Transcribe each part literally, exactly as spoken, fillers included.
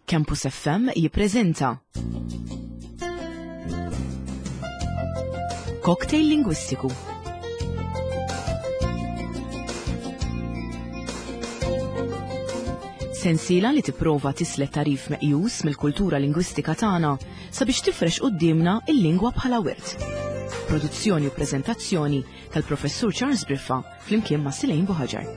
Campus F M jippreżenta Cocktail Lingwistiku. Sensiela li tipprova tislet tarif meqjus mill-kultura lingwistika tagħna sabiex tifrex quddiemna il-lingwa bħala wirt. Produzzjoni u preżentazzjoni tal-Professur Charles Briffa flimkien ma' Silejn Buħaġar.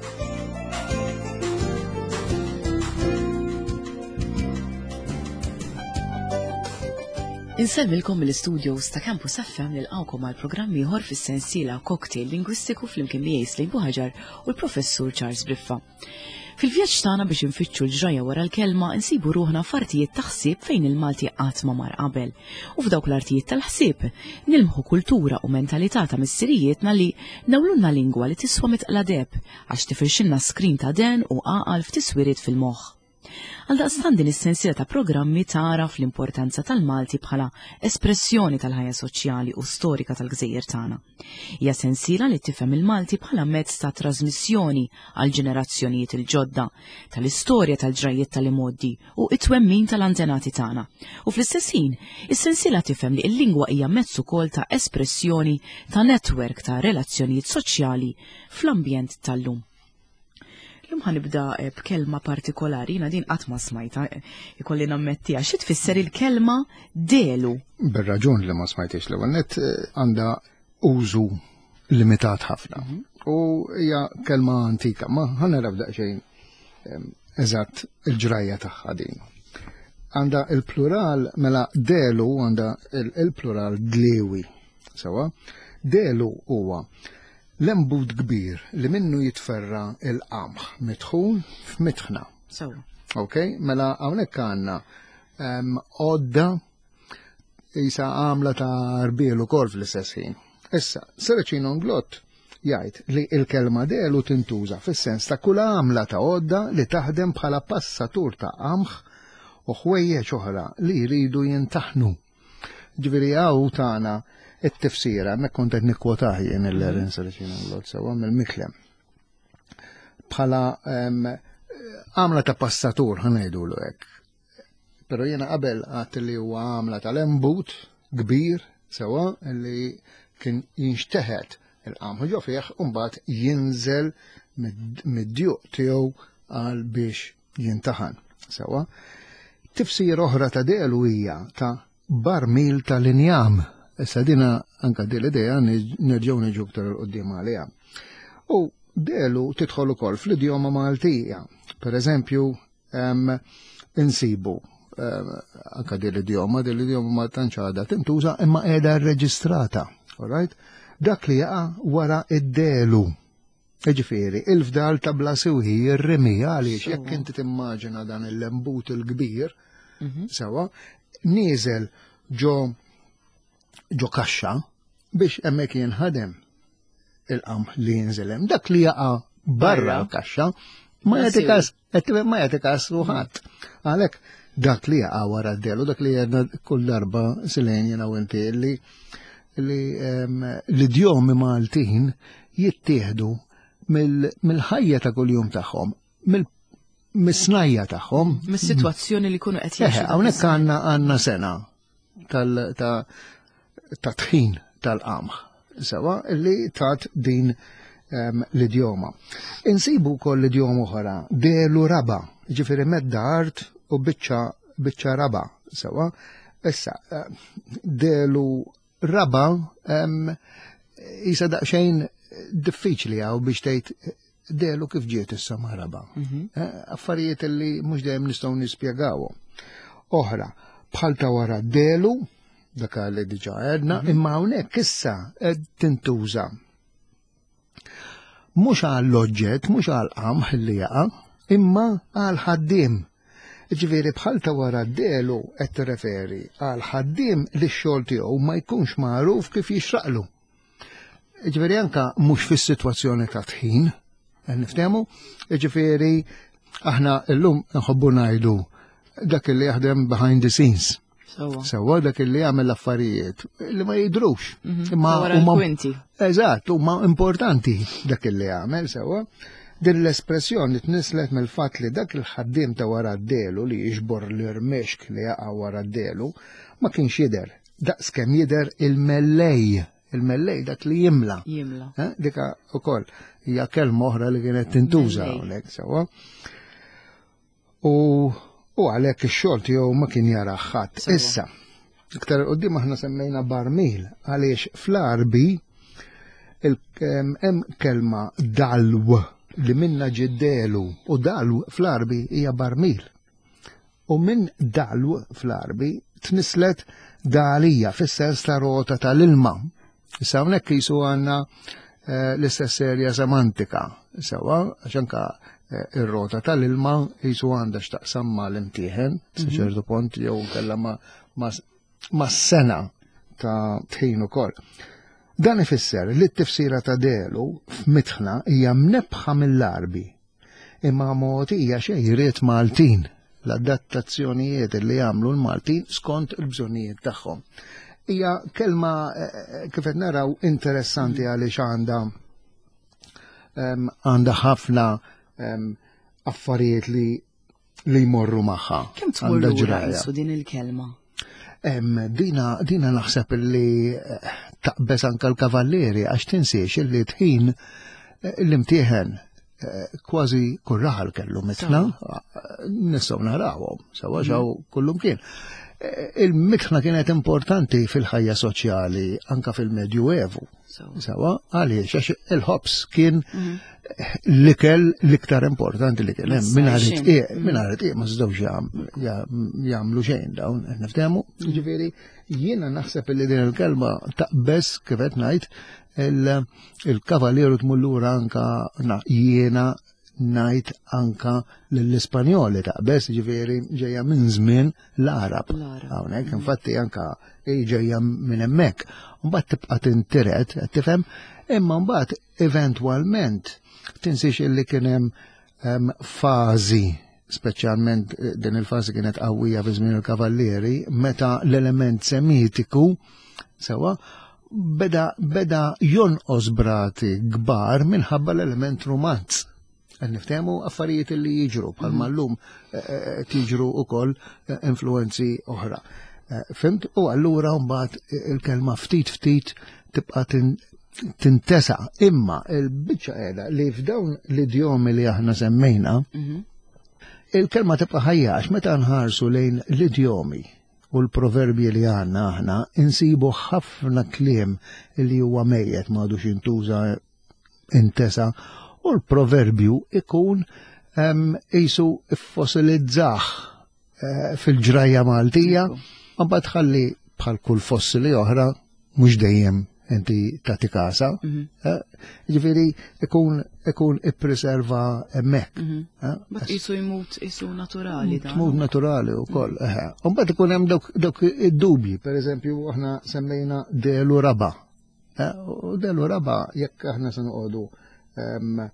Insellmilkom mill-studios ta' Campus F M, nilqawkom għal programm ieħor fis-sensiela Cocktail Lingwistiku flimkien miegħi Slejn Buħaġar u l-Professur Charles Briffa. Fil-vjaġġ tagħna biex infittxu l-ġraja wara l-kelma, insibu ruħna f'artijiet ta' ħsieb fejn il-Malti qatt ma mar qabel. U f'dawk l-artijiet tal-ħsieb nilmħu kultura u mentalità ta' missirijietna li nawlunna lingwa li tiswa mitqla deheb għax tifirxilna skrin ta' den u għaqal f'tiswiriet fil-moħħ. Għaldaqstant din is-sensiela ta' programmi tagħraf l-importanza tal-Malti bħala espressjoni tal-ħajja soċjali u storika tal-gżejjer tagħna. Hija sensiela li tifhem il-Malti bħala mezz ta' trasmissjoni għal ġenerazzjonijiet il-ġodda tal-istorja, tal-ġrajiet tal-imoddi u it-twemmin tal-antenati tagħna. U fl-istess ħin, is-sensiela tifhem li l-lingwa hija mezz ukoll ta' espressjoni ta' netwerk ta' relazzjonijiet soċjali fl-ambjent tal-lum. Illum ħa nibda eh, b'kelma partikolari, jiena din qatt ma smajta, eh, ikolli nammettiha. Xi tfisser il-kelma delu? Bir-raġun li ma smajtix. L-ewwel nett eh, għandha użu limitat ħafna. Mhm. U hija kelma antika, ma ħa naraw daqsxejn eżatt il-ġrajja tagħha din. Għandha il-plural, mela delu għandha il-plural dlewi. Sewa, delu huwa l-embut kbir li minnu jitferra il-qamħ mitħun f'mitħna. So. Ok, mela hawnhekk għandna għodda jisa għamla ta' rbiel ukoll fl-istess ħin. Issa, Serracino Inglott jgħid li il-kelma delu tintuża fis-sens ta' kull għamla ta' għodda li taħdem bħala passatur ta' qamħ u ħwejjeġ oħra li jridu jintaħnu. Ġifieri hawn tagħna it-tifsira, mek kont qed nikkwotah jien il-Aaron Serracino Inglott sewa mill-Miklem. Bħala għamla ta' passatur, ħa ngħidulu hekk. Pero jiena qabel għedt li huwa għamla tal-embut kbir sewa li kien jinxteħet il-qamħ ġo fih u mbagħad jinżel mid-djuq tiegħu għal biex jintaħan. Sewa. Tifsir oħra ta' delu hija ta' barmil tal-injam. Issa dina anka din l-idea nerġgħu niġu aktar 'il quddiem għaliha. U delu tidħol ukoll fl-idjoma Maltija. Per eżempju, insibu anka din l-idjoma, din l-idjoma ma tantx għadha tintuża imma qiegħda rreġistrata. Alright? Dak li jaqa' wara id-delu. Ġifieri, il-fdal ta' bla siwi, ir-rimi, għaliex jekk inti timmaġina dan il-lembut il-kbir, mhm. sewa, nieżel ġo ġo kaxxa biex hemmhekk jinħadem il-qamħ li jinżel hemm. Dak li jaqa' barra l-kaxxa ma jagħti kas, ma jagħti kas ħadd. Għalhekk dak li jaqa' wara d-delu, dak li għedna kull darba, Silejn, jiena u inti, li li l-idjomi Maltin jittieħdu mill-ħajja ta' kuljum tagħhom, mill-snajja tagħhom. Mis-sitwazzjoni li jkunu qed jgħixu. Hawnhekk għandna għandna sena tal ta' ta' tħin tal-qamħ, sewa, li tat din l-idjoma. Insibu wkoll l-idjoma oħra, delu raba, ġifieri medda art u biċċa biċċa raba, sewa. Issa, delu raba jisa daqsxejn diffiċli għaw biex tgħid delu kif ġiet issa ma' raba. Mhm. Eh, affarijiet li mhux dejjem nistgħu nispjegawhom. Oħra, bħal ta' wara delu, dak li diġà għedna, mhm. imma hawnhekk issa qed tintuża. Mhux għall-oġġett, mhux għall-qamħ li jaqa', imma għal ħaddiem. Ġifieri bħal ta' wara delu qed tirreferi għal ħaddiem li x-xogħol tiegħu ma jkunx magħruf kif jixraqlu. Ġifieri anka mhux fis-sitwazzjoni ta' tħin, niftehmu, ġifieri aħna llum nħobbu ngħidu dak li jaħdem behind the scenes. Sewa, dak li jagħmel affarijiet li ma jidrux. Mhm. Imma huma Eżatt, huma importanti dak li jagħmel sewa. Din l-espressjoni tnislet mill-fatt li dak il-ħaddiem ta' wara d-delu li jiġbor l-irmexk li jaqa' wara d-delu ma kienx jidher daqs kemm jidher il-mellej, il-mellej dak li jimla. Jimla. Eh, Dika ukoll hija kelma oħra li kienet tintuża Mellej. hawnhekk sewwa. U u għalhekk ix-xogħol tiegħu ma kien jara ħadd. Sewwa. Issa, iktar quddiem aħna semmejna barmil għaliex fl-Arbi il- em, hemm kelma dalw li minna ġiddelu u dalw fl-Arbi hija barmil. U minn dalw fl-Arbi tnislet dalija fis-sens ta' rota tal-ilma. Issa hawnhekk qisu għandna eh, l-istess serja semantika. Sewa, għax anka eh, ir-rota tal-ilma qisu għandha x'taqsam ma' l-imtieħen, sa ċertu punt jew kellha ma' ma' ma' sena ta' tħin ukoll. Dan ifisser li t-tifsira ta' delu f'mitħna hija mnebħa mill-Arbi imma mogħtija xejriet Maltin l-adattazzjonijiet li jagħmlu l-Maltin skont il-bżonnijiet tagħhom. Hija kelma eh, kif qed naraw interessanti għaliex għandha em, għandha ħafna em, affarijiet li li jmorru magħha. Kemm tmur Għandha lura ġraja. qisu din il-kelma? Em, dina, dina naħseb li eh, taqbeż anka l-kavallieri għax tinsiex illi tħin eh, l-imtieħen eh, kważi kull raħal kellu mitħna, eh, nistgħu narawhom, sewa ġew kullum kien. Eh, Il-mitħna kienet importanti fil-ħajja soċjali anka fil-Medjuevu. Sewa. Sewa, għaliex għax il-ħobs kien l-ikel l-iktar importanti li kien hemm. Mingħajr Għajxin. it-tqiegħ, mingħajr it-tqiegħ ma setgħux jam- jam- jagħmlu xejn dawn, qed niftehmu. Jiġifieri jiena naħseb li din il-kelma taqbeż kif qed ngħid il- il-kavalieru tmur lura anka na- jiena ngħid anka lill-Ispanjoli taqbeż, jiġifieri ġejja minn żmien l-Arab. L-Arab. Hawnhekk infatti anka hi ġejja minn hemmhekk. Mbagħad tibqa' tintiret, qed tifhem, imma mbagħad eventwalment tinsiex illi kien hemm em, fażi speċjalment eh, din il-fażi kienet qawwija fi żmien il-kavallieri, meta l-element semitiku sewa beda beda jonqos brati kbar minħabba l-element rumanz. Qed niftehmu affarijiet li jiġru bħalma llum eh, eh, tiġru ukoll eh, influenzi oħra. Eh, Fimt? U allura mbagħad il-kelma ftit ftit tibqa' tin- tintesa. Imma il-biċċa qiegħda li f'dawn l-idjomi li aħna semmejna, Mhm. il-kelma tibqa' ħajja għax meta nħarsu lejn l-idjomi u l-proverbji li għandna aħna insibu ħafna kliem li huwa mejjet m'għadux jintuża intesa u l-proverbju ikun em, qisu fossilizzah eh, fil-ġrajja Maltija, mbagħad ħalli bħal kull fossili oħra mhux dejjem inti tagħti kasa. eh, Ġifieri ikun ikun ippreserva hemmhekk. eh, Bat qisu jmut qisu naturali dan. Tmut naturali u koll. Umbagħad ikun hemm dawk dawk id-dubji, per eżempju, aħna semmejna delu raba. Eh, U delu raba jekk aħna se noqogħdu em,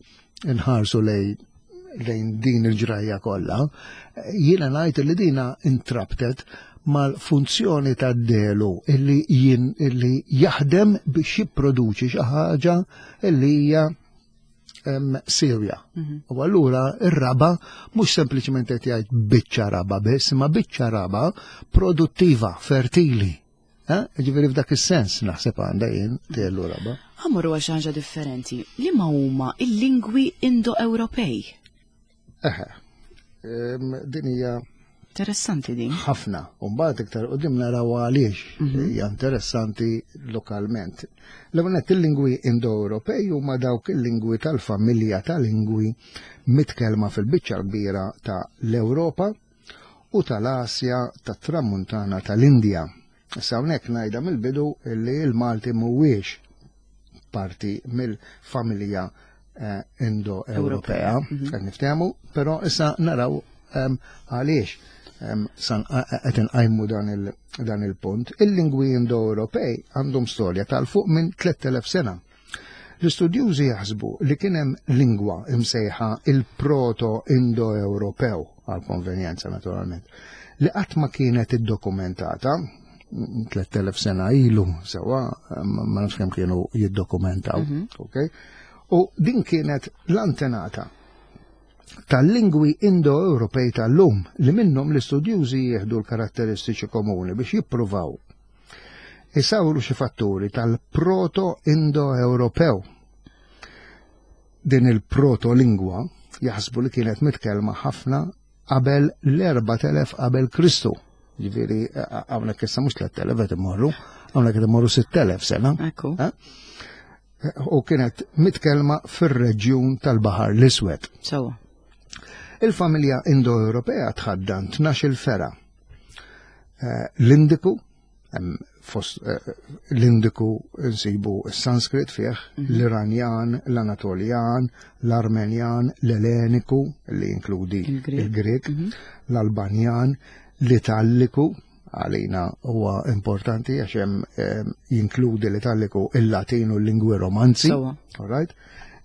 nħarsu lej lejn din il-ġrajja kollha, jiena ngħid li dina intrabtet mal-funzjoni tad-delu illi jien illi jaħdem biex jipproduċi xi ħaġa illi hija em, sirja. U allura ir-raba mhux sempliċement qed jgħid biċċa raba biss, imma biċċa raba produttiva, fertili. Eh? Ġifieri f'dak is-sens naħseb għandha jien tielu raba. Ħa mmorru għal xi ħaġa differenti. Liema huma il-lingwi Indo-Ewropej? Eħe. Em, Din hija Interessanti din. ħafna. U mbagħad iktar qudiem naraw għaliex hija interessanti lokalment. L-ewwel nett il-lingwi Indo-Ewropej huma dawk il-lingwi tal-familja ta' lingwi mitkellma fil-biċċa kbira ta' l-Ewropa u tal-Asja tat-Tramuntana tal-Indja. Issa hawnhekk ngħidha mill-bidu li l-Malti mhuwiex parti mill-familja eh, Indo-Ewropea, qed niftehmu, però issa naraw em, għaliex em, san qed inqajmu dan il- dan il-punt. Il-lingwi Indo-Ewropej għandhom storja tal-fuq minn tliet elef sena. L-istudjużi jaħsbu li kien hemm lingwa imsejħa il-Proto-Indo-Ewropew, għal konvenjenza naturalment, li qatt ma kienet iddokumentata tliet elef sena ilu, sewa, ma nafx kemm kienu jiddokumentaw, ok? U din kienet l-antenata tal-lingwi Indo-Ewropej tal-lum li minnhom l-istudjużi jieħdu l-karatteristiċi komuni biex jippruvaw isawru xi fatturi tal-Proto-Indo-Ewropew. Din il-proto-lingwa jaħsbu li kienet mitkellma ħafna qabel l-erbat elef qabel Kristu. Ġifieri hawnhekk issa mhux tlett elef qed imorru, hawnhekk qed imorru sitt elef sena. Ekku. Eh? U kienet mitkellma fir-reġjun tal-Baħar l-Iswed. Sewwa. Il-familja Indo-Ewropea tħaddan tnax-il fergħa. Eh, L-Indiku, hemm fost eh, l-Indiku nsibu s-Sanskrit fih, l-Iranjan, l-Anatoljan, l-Armenjan, l-Elleniku, li jinkludi Il-Grek. il-Grek, l-Albanjan, l-Italliku, għalina huwa importanti għax hemm eh, jinkludi l-Italliku, il-Latin u l-lingwi romanzi. Sewwa. All right?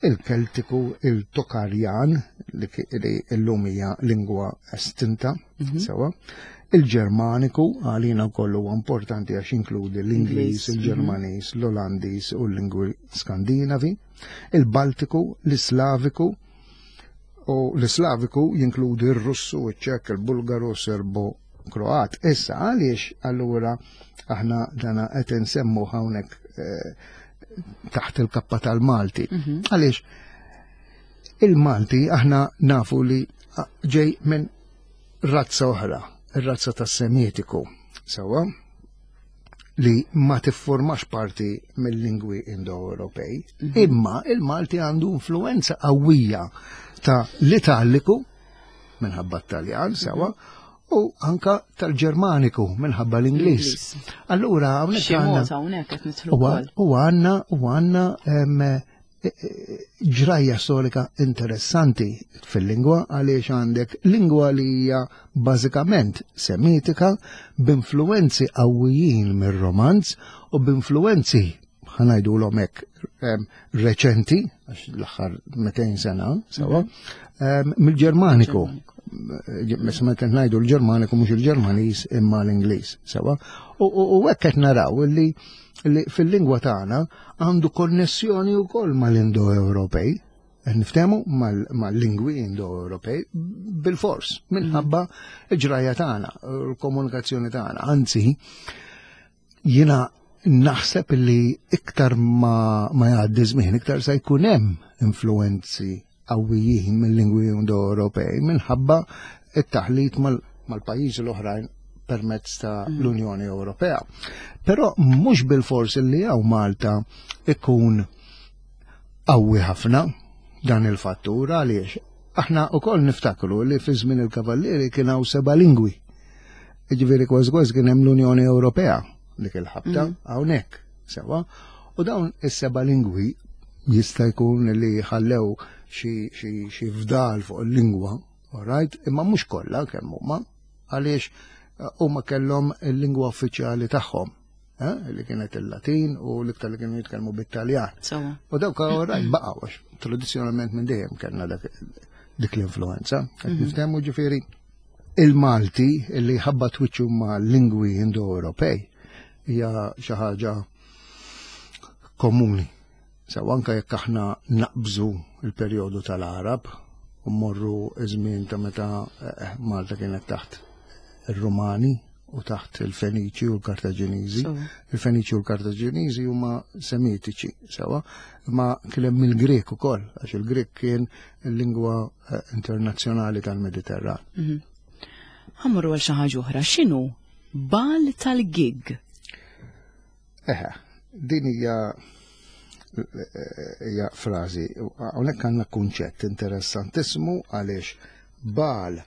Il-Keltiku, il-Tokarjan, li ki- li llum hija lingwa estinta, sewwa. Il-Ġermaniku, għalina wkoll huwa importanti għax jinkludi l-Ingliż, Ingliż, il-Ġermaniż, l-Olandiż u l-lingwi Skandinavi. Il-Baltiku, l-Slaviku, u l-Slaviku jinkludi il-Russu, il-Ċek, il-Bulgaru, Serbo, Kroat. Issa għaliex allura aħna dana qed insemmu hawnhekk eh, taħt il-kappa tal-Malti. Għaliex il-Malti aħna nafu li ġej minn razza oħra, ir-razza tas-Semitiku, sewwa, li ma tiffurmax parti mill-lingwi Indo-Ewropej, imma il-Malti għandu influenza qawwija ta' l-Italiku minħabba t-Taljan, sewwa, u anka tal-Ġermaniku minħabba l-Ingliż. L-Ingliż. Allura hawnhekk Xi għandna mod hawnhekk qed nidħlu U wkoll. u għandna u għandna em, e- e- ġrajja storika interessanti fil-lingwa għaliex għandek lingwa li hija bażikament semitika b'influenzi qawwijin mir-romanz u b'influenzi ħa ngħidulhom hekk em, reċenti, għax l-aħħar mitejn sena, sewwa, em, mill-Ġermaniku. Meta meta ngħidu l-Ġermaniku mhux il-Ġermaniż imma l-Ingliż, sewwa. U u- u hekk qed naraw li li fil-lingwa tagħna għandu konnessjoni wkoll mal-Indo-Ewropej. Qed Niftehmu mal-lingwi Indo-Ewropej bil-fors minħabba l-ġrajja tagħna, l-komunikazzjoni tagħna. Anzi, jiena naħseb li iktar ma, ma jgħaddi żmien, iktar se jkun hemm influenzi qawwijin mill-lingwi Indo-Ewropej minħabba it-taħlit mal- mal-pajjiżi l-oħrajn permezz ta' l-Unjoni Ewropea. Però mhux bil-fors li hawn Malta ikun qawwi ħafna dan il-fattur għaliex aħna wkoll niftakru li fi żmien il-Kavallieri kien hawn seba' lingwi. Ġifieri kważi kważi kien hemm l-Unjoni Ewropea dik il-ħabta hawnhekk sewwa. U dawn is-seba' lingwi jista' jkun li ħallew xi xi xi fdal fuq il-lingwa, all right, imma mhux kollha kemm huma, għaliex eh, huma kellhom il-lingwa uffiċjali tagħhom, eh, li kienet il-Latin u l-iktar li kienu jitkellmu bit-Taljan. Sewwa. U dawk all right baqgħu għax tradizzjonalment minn dejjem kellna dak dik l-influenza. Qed niftehmu ġifieri il-Malti li ħabbat wiċċu ma' lingwi Indo-Ewropej hija xi ħaġa komuni. Sew anke jekk aħna naqbżu il-perjodu tal-Arab u mmorru iż-żmien ta' meta eh, Malta kienet taħt ir-Rumani u taħt il-Feniċi u l-Kartaġiniżi. Sewwa. Il-Feniċi u l-Kartaġiniżi huma semitiċi, sewwa, ma kien hemm il-Grek ukoll, għax il-Grek kien il-lingwa eh, internazzjonali tal-Mediterran. Ħa mmorru għal xi ħaġa oħra, x'inhu bal tal-gig? Eħe, din hija hija frażi, hawnhekk għandna kunċett interessantissimu għaliex bal eh,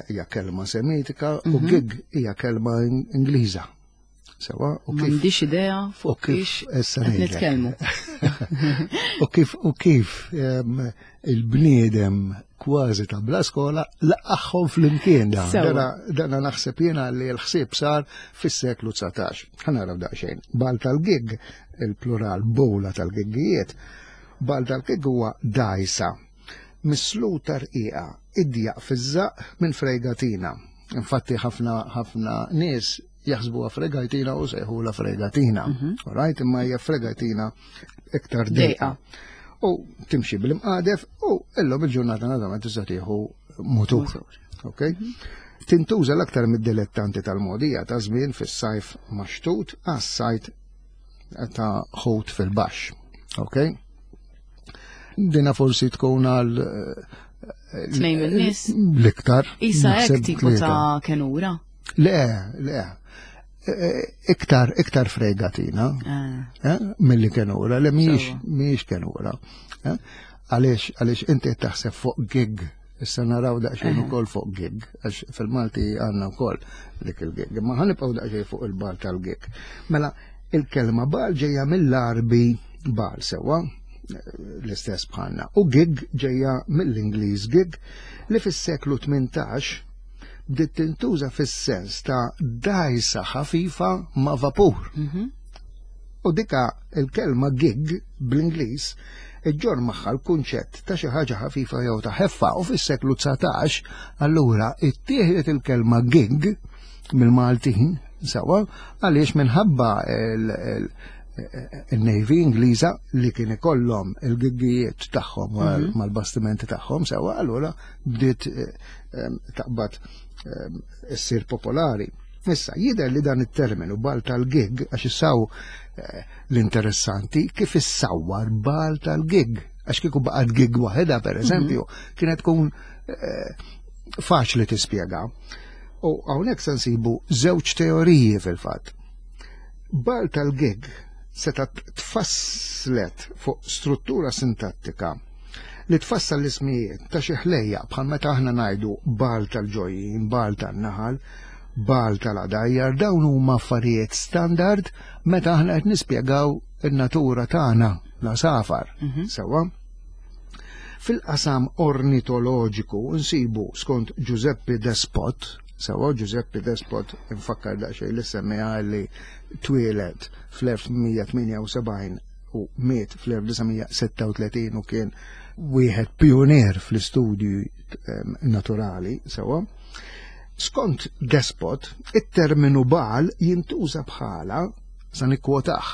hija kelma semitika u gig hija kelma in- Ingliża. Sewwa, u kif M'għandix idea u fuq kif kiex issa qed ngħidlek. nitkellmu. U kif u kif em, il-bniedem kważi ta' bla skola laqqagħhom flimkien dan. Sewwa. Dana, dana naħseb jiena li l-ħsieb sar fis-seklu dsatax. Ħa naraw daqsxejn. Bal tal-gig, il-plural bowla tal-giggijiet, bal tal-gig huwa dajsa misluta rqiqa idjaq fiż-żaq minn fregatina. Infatti ħafna ħafna nies jaħsbuha fregatina u sejħula fregatina. All right, imma hija fregatina iktar dejqa. Dejqa. U timxi bil-imqadef u illum il-ġurnata naturalment tista' tieħu mutur. Ok? Tintuża l-aktar mid-dilettanti tal-mogħdija ta' żmien fis-sajf maxtut għas-sajd ta' ħut fil-baxx. Ok? Dina forsi tkun għal Tnejn min-nies. L-iktar. Isa naħseb hekk tipo tlieta. Ta' kenura. Le, le. Eh, Iktar, iktar fregatina Ah, eh, mill-li kenura, le mhijiex Sewwa. mhijiex kenura. eh. Għaliex, għaliex inti taħseb fuq gig, issa naraw daqsxejn ukoll fuq gig, għax fil-Malti għandna wkoll dik il-gig, ma ħa nibqgħu daqsxejn fuq il-bagħal tal-gig. Mela, il-kelma bagħal ġejja mill-Għarbi bal sewwa, l-istess bħalna. U gig ġejja mill-Ingliż gig li fis-seklu tmintax bdiet tintuża fis-sens ta' dajsa ħafifa ma' vapur. mhm. U dika il-kelma gig bl-Ingliż iġġorr magħha l-kunċett ta' xi ħaġa ħafifa jew ta' ħeffa u fis-seklu dsatax allura ittieħdet il-kelma gig mill-Maltin sewwa għaliex minħabba il- il- il-Navy Ingliża li kien ikollhom il-giggijiet tagħhom mal- mal-bastimenti tagħhom sewwa, allura bdiet eh, em, taqbad em, issir popolari. Issa, jidher li dan it-terminu bagħal tal-gig, għax issaw eh, l-interessanti kif issawwar bagħal tal-gig. Għax kieku baqgħet gig waħedha, per eżempju, kienet tkun eh, faċli tispjega. U hawnhekk se nsibu żewġ teoriji fil-fatt. Bagħal tal-gig seta tfasslet fuq struttura sintattika li tfassal l-ismijiet ta' xi ħlejja bħal meta aħna ngħidu bagħal tal-ġojjin, bagħal tan-naħal, bagħal tal-għadajjar, dawn huma affarijiet standard meta aħna qed nispjegaw in-natura tagħna l-għasafar. Sewwa? Fil-qasam ornitoloġiku nsibu skont Giuseppe Despot, sewwa Giuseppe Despot infakkar daqsxejn li semmiha li twieled fl-elf tmien mija tmienja u sebgħin u miet fl-elf disa' mija sitta u tletin u kien wieħed pionier fl-istudju em, naturali, sewwa. Skont Despot, it-terminu bagħal jintuża bħala, sa nikkwotah,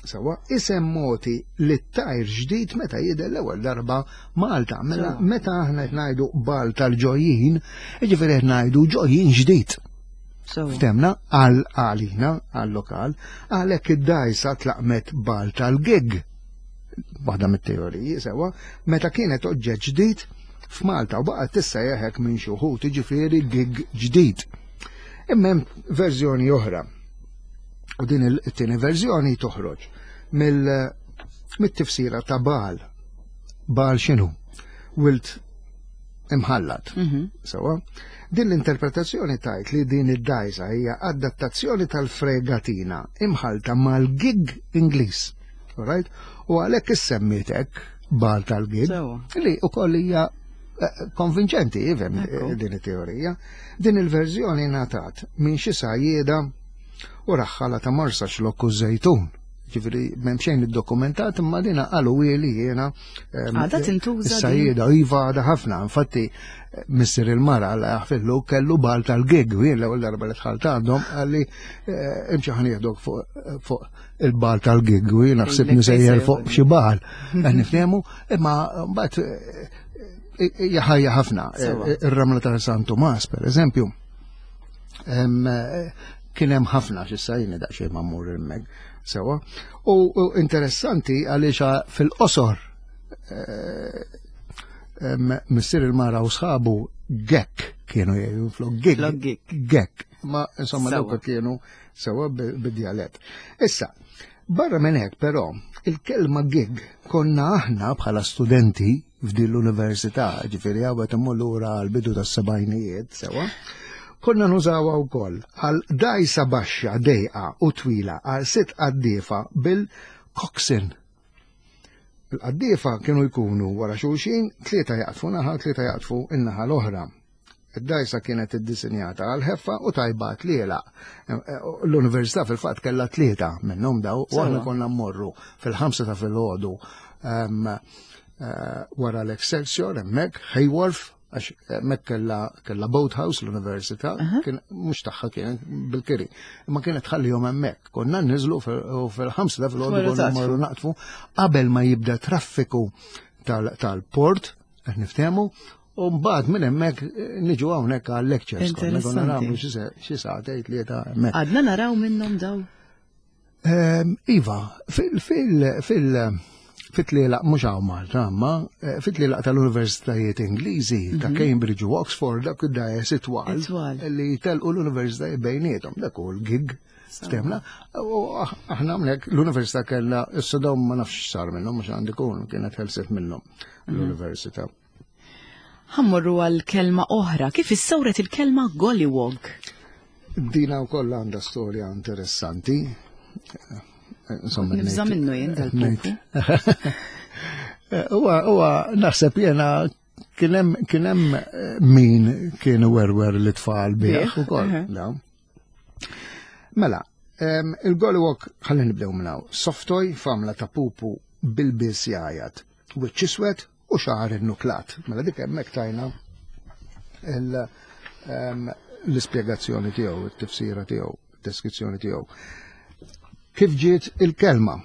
sewwa, isem mogħti li tajr ġdid meta jidher l-ewwel darba Malta. Mela Sewwa. meta aħna qed ngħidu bagħal tal-ġojjin, jiġifieri qed ngħidu ġojjin ġdid. Sewwa. Ftemna għal għalina, għal lokal, għalhekk id-dajsa tlaqqmet bagħal tal-gig. Waħda mit-teoriji, sewwa, meta kienet oġġett ġdid f'Malta u baqgħet tissejjaħ hekk minn xi wħud, jiġifieri gig ġdid. Imma hemm verżjoni oħra. U din il-tieni verżjoni toħroġ mill mit-tifsira ta' bagħal. Bagħal x'inhu? Wild imħallat. Mhm. Sewwa, din l-interpretazzjoni tgħid li din id-dajsa hija adattazzjoni tal-fregatina imħalta mal-gig Ingliż. Alright? U għalhekk issemmiet hekk bagħal tal-gig Sewwa. li ukoll hija eh, konvinċenti, ifhem Ekku. eh, din it-teorija. Din il-verżjoni ngħatat minn xi sajjieda u raħħala ta' Marsaxlokk u Żejtun. Ġifieri m'hemm xejn iddokumentat imma dina qalu li jiena em, Għadha tintuża din? Is-sajjieda iva għadha ħafna, infatti eh, missier il-mara għalla jaħfillu kellu bagħal tal-gig, u jien l-ewwel darba li dħalt għandhom qalli eh, imxi ħa nieħdok fuq fuq il-bagħal tal-gig u jien naħseb Ilek nisejjer fejn fuq xi bagħal. Qed niftehmu, imma mbagħad eh, hija ħajja ħafna. Sewwa. Eh, Ir-ramla ta' San Tumas, per eżempju, em, eh, kien hemm ħafna x'issa jiena daqsxejn ma mmur hemmhekk sewwa. U u interessanti għaliex fil-qosor eh, em, missier il-mara u sħabu gekk kienu jgħidu flok gig. Flok gig. Gekk. Ma insomma Sewwa. dawk kienu sewwa bi- bid-djalett. Issa, barra minn hekk però, il-kelma gig konna aħna bħala studenti f'din l-università, ġifieri għawet immur lura għal-bidu tas-sebgħinijiet, sewwa, konna nużawha wkoll għal dajsa baxxa dejqa u twila għal sitt qaddiefa bil-coxswain. Il-qaddiefa kienu jkunu wara xulxin, tlieta jaqdfu naħa, tlieta jaqdfu in-naħa l-oħra. Id-dajsa kienet iddisinjata għal ħeffa u tajba tliela. L-università fil-fatt kellha tlieta minnhom daw u aħna Sewwa. konna mmorru fil-ħamsa ta' filgħodu em, eh, wara l-Excelsior hemmhekk Hay Wharf Għax hemmhekk kella kella boathouse l-università, kien mhux tagħha, kienet bil-kiri. Imma kienet tħallihom hemmhekk. Konna niżlu u fil-ħamsa ta' filgħodu konna marru naqtfu qabel ma jibda traffiku tal-port, qed niftehmu, u mbagħad minn hemmhekk niġu hawnhekk għal lectures. Konna konna nagħmlu xi sagħtejn, tlieta hemmhekk. Għadna naraw minnhom daw? Iva, fil fil fit-tlielaq, mhux hawn Malta, ma eh, fit-tlielaq tal-universitajiet Ingliżi ta' mhm. Cambridge u Oxford, dak id-dgħajjes itwal li telqu l-universitajiet bejniethom, dak hu l-gig. Ftehmna, u aħna hawnhekk l-università kellha, issa dawn ma nafx sar minnhom, mhux għandi kun kienet ħelset minnhom mhm. l-università. Ħa mmorru għal kelma oħra, kif issawret il-kelma gollywog? Dina wkoll għandha storja interessanti. Insomma, nibża' minnu jien dal-pupu. Huwa huwa naħseb jena kien hemm kien hemm eh, min kien werwer l-tfal bih ukoll. Mela, il-gollywog, ħalli nibdew minn hawn. Soft toy f'għamla ta' pupu bil-biss jgħajat, wiċċ iswed u xagħar innuklat. Mela dik hemmhekk tajna l-ispjegazzjoni tiegħu, it-tifsira tiegħu, deskrizzjoni tiegħu. Kif ġiet il-kelma?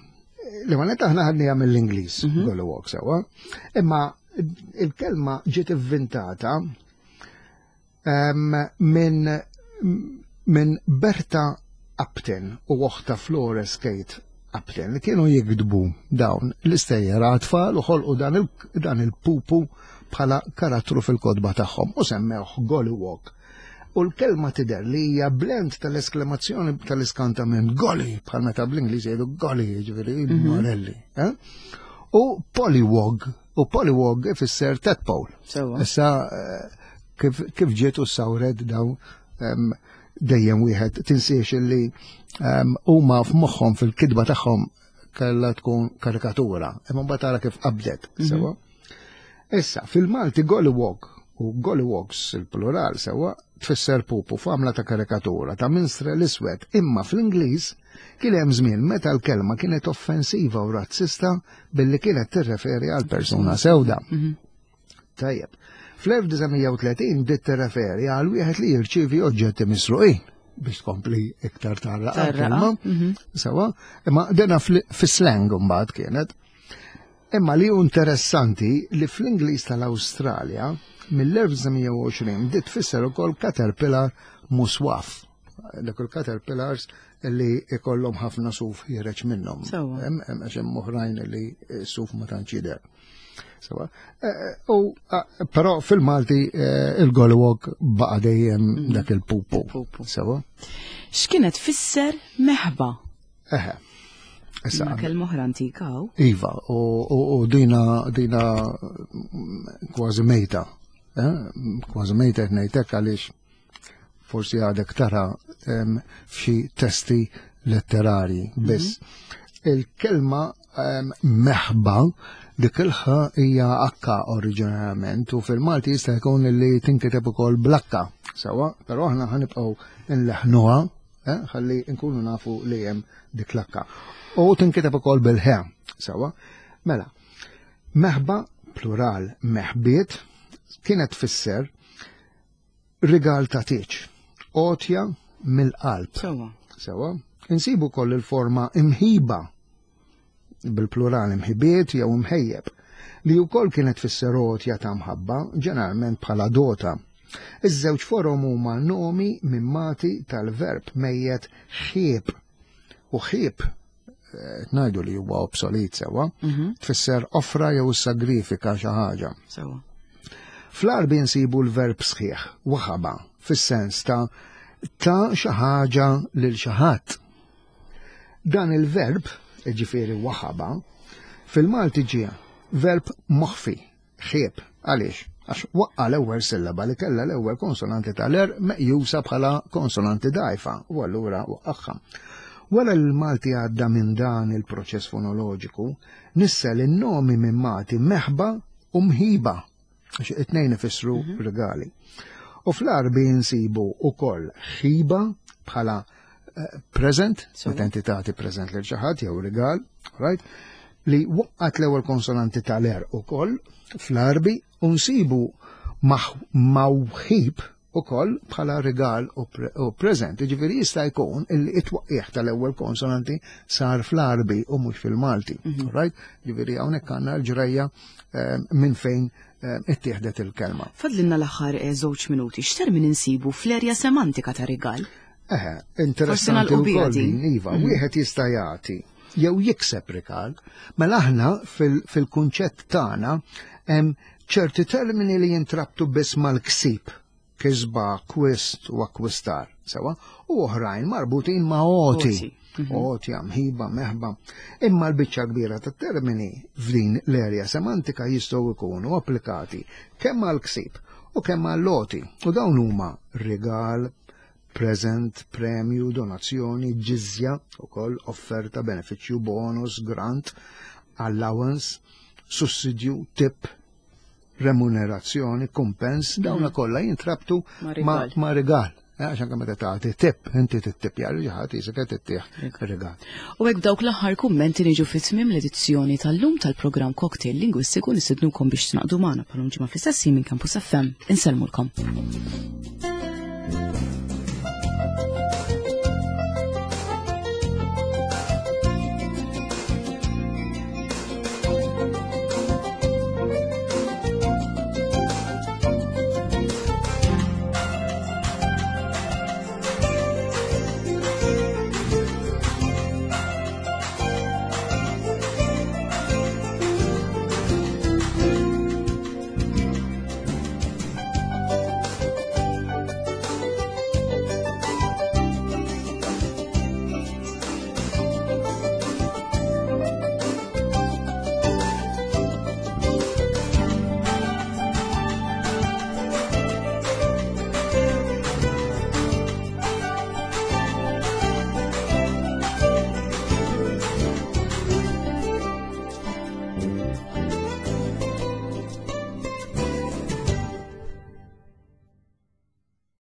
Li ma aħna ħadniha mill-Ingliż, mhm. gollywog sewwa, imma il-kelma ġiet inventata minn min Berta Upton u oħta Flores Kate Upton li kienu jiktbu dawn l-istejjer għat-tfal u ħolqu dan il-pupu bħala karattru fil-kotba tagħhom u semmewh Gollywog. U l-kelma tidher li hija blend tal-esklamazzjoni tal-iskantament golly, bħal meta bl-Ingliż jgħidu golly, ġifieri mhm. morelli. Eh? U pollywog, u pollywog ifisser tadpole. Issa eh, kif ġiet u sawret dawn, dejjem wieħed tinsiex li huma f'moħħhom fil-kitba tagħhom kellha tkun karikatura, imma mbagħad tara kif qabdet, mhm. sewwa. Issa, fil-Malti gollywog u gollywogs il-plural, sewwa, tfisser pupu f'għamla ta' karikatura ta' minstrel iswed, imma fl-Ingliż kien hemm żmien meta l-kelma kienet offensiva u razzista billi kienet tirreferi għal persuna sewda. Mhm. Tajjeb. Fl-elf disa' mija u tletin bdiet tirreferi għal wieħed li jirċievi oġġetti misruqin biex tkompli iktar tarra kelma. Mhm. Sewwa, imma dena fis-slang mbagħad kienet. Imma li interessanti li fl-Ingliż tal-Awstralja mill-elf disa' mija u għoxrin bdiet tfisser ukoll caterpillar muswaf. Dak il-caterpillars li ikollhom ħafna suf ħiereġ minnhom. Hemm għax hemm oħrajn li suf ma tantx jidher. Sewwa. Eh, eh, u eh, però fil-Malti il-gollywog baqa' dejjem mhm. dak il-pupu. Sewwa. X'kienet tfisser meħba? Eħe. Issa kelma oħra antika. Iva, u dina dina kważi mejta. Kważi mejta qed ngħidlek għaliex forsi għadek tara f'xi testi letterari biss. Mhm. Il-kelma meħba, dik il-ħa hija akka oriġinarjament u fil-Malti jista' jkun li tinkiteb ukoll blakka. Sewwa, però aħna ħa nibqgħu nleħnuha, eh, ħalli nkunu nafu li hemm dik l-akka. U tinkiteb ukoll bil-ħe, sewwa. Mela, meħba, plural meħbiet, kienet tfisser rigal ta' tieġ, għotja mill-qalb. Sewwa. Sewwa, insibu koll il-forma imħiba, bil-plural imħibiet jew imħejjeb, li wkoll kienet tfisser għotja ta' mħabba, ġeneralment bħala dota. Iż-żewġ forom huma nomi mimmati tal-verb mejjet ħieb. U ħieb eh, ngħidu li huwa obsolet, sewwa, Mhm. tfisser offra jew sagrifika xi ħaġa. Sewwa. Fl-Arbi nsibu l-verb sħiħ, waħaba, fis-sens ta' ta' xi ħaġa lil xi ħadd. Dan il-verb, ġifieri waħaba, fil-Malti ġie verb moħfi, ħieb, għaliex? Għax waqqa l-ewwel sillaba li kellha l-ewwel konsonanti tal-għerq meqjusa bħala konsonanti dgħajfa, u allura waqqagħha. Wara l-Malti għadda minn dan il-proċess fonoloġiku, nissel in-nomi mimmati meħba u mħiba, għax it-tnejn ifissru regali. U fl-Arbi nsibu ukoll ħiba bħala eh, present, Sewwa. meta inti tagħti present lil xi ħadd jew rigal, right? Li waqqat l-ewwel konsonanti tal-għerq ukoll fl-Arbi u nsibu Mawħib ukoll bħala rigal u, pre u preżent. Ġifieri jista' jkun illi it-twaqqieħ tal-ewwel konsonanti sar fl-Arbi u mhux fil-Malti. Mm -hmm. Right? Ġifieri hawnhekk għandna l-ġrajja eh, minn fejn eh, ittieħdet il-kelma. Fadlinna l-aħħar eh, żewġ minuti, x'termini nsibu fl-erja semantika ta' rigal? Eħe, interessanti wkoll din, iva, mm -hmm. wieħed jista' jagħti jew jikseb rigal, mela aħna fil-kunċett tagħna hemm ċerti termini li jintrabtu biss mal-ksib, kisba, akwist u akkwistar, sewa, u oħrajn marbutin ma' għoti. Għoti, mħiba, meħba. Imma l-biċċa kbira ta' termini f'din l-erja semantika jistgħu jkunu applikati kemm għal-ksib u kemm għall-għoti. U dawn huma rigal, present, premju, donazzjoni, ġizja, ukoll offerta, benefiċċju, bonus, grant, allowance, sussidju, tip, remunerazzjoni, kumpens, dawna mhm. kollha jintrabtu ma' rigal. Eh, għax anke meta tagħti tip, inti tittipja li ħadd jisek qed ittieħ rigal. U hekk dawk l-aħħar kummenti niġu fi tmiem l-edizzjoni tal-lum tal-programm Cocktail Lingwistiku. Nistednukom biex tingħaqdu magħna bħal ġimgħa fl-istess minn Campus F M. Insellmulkom.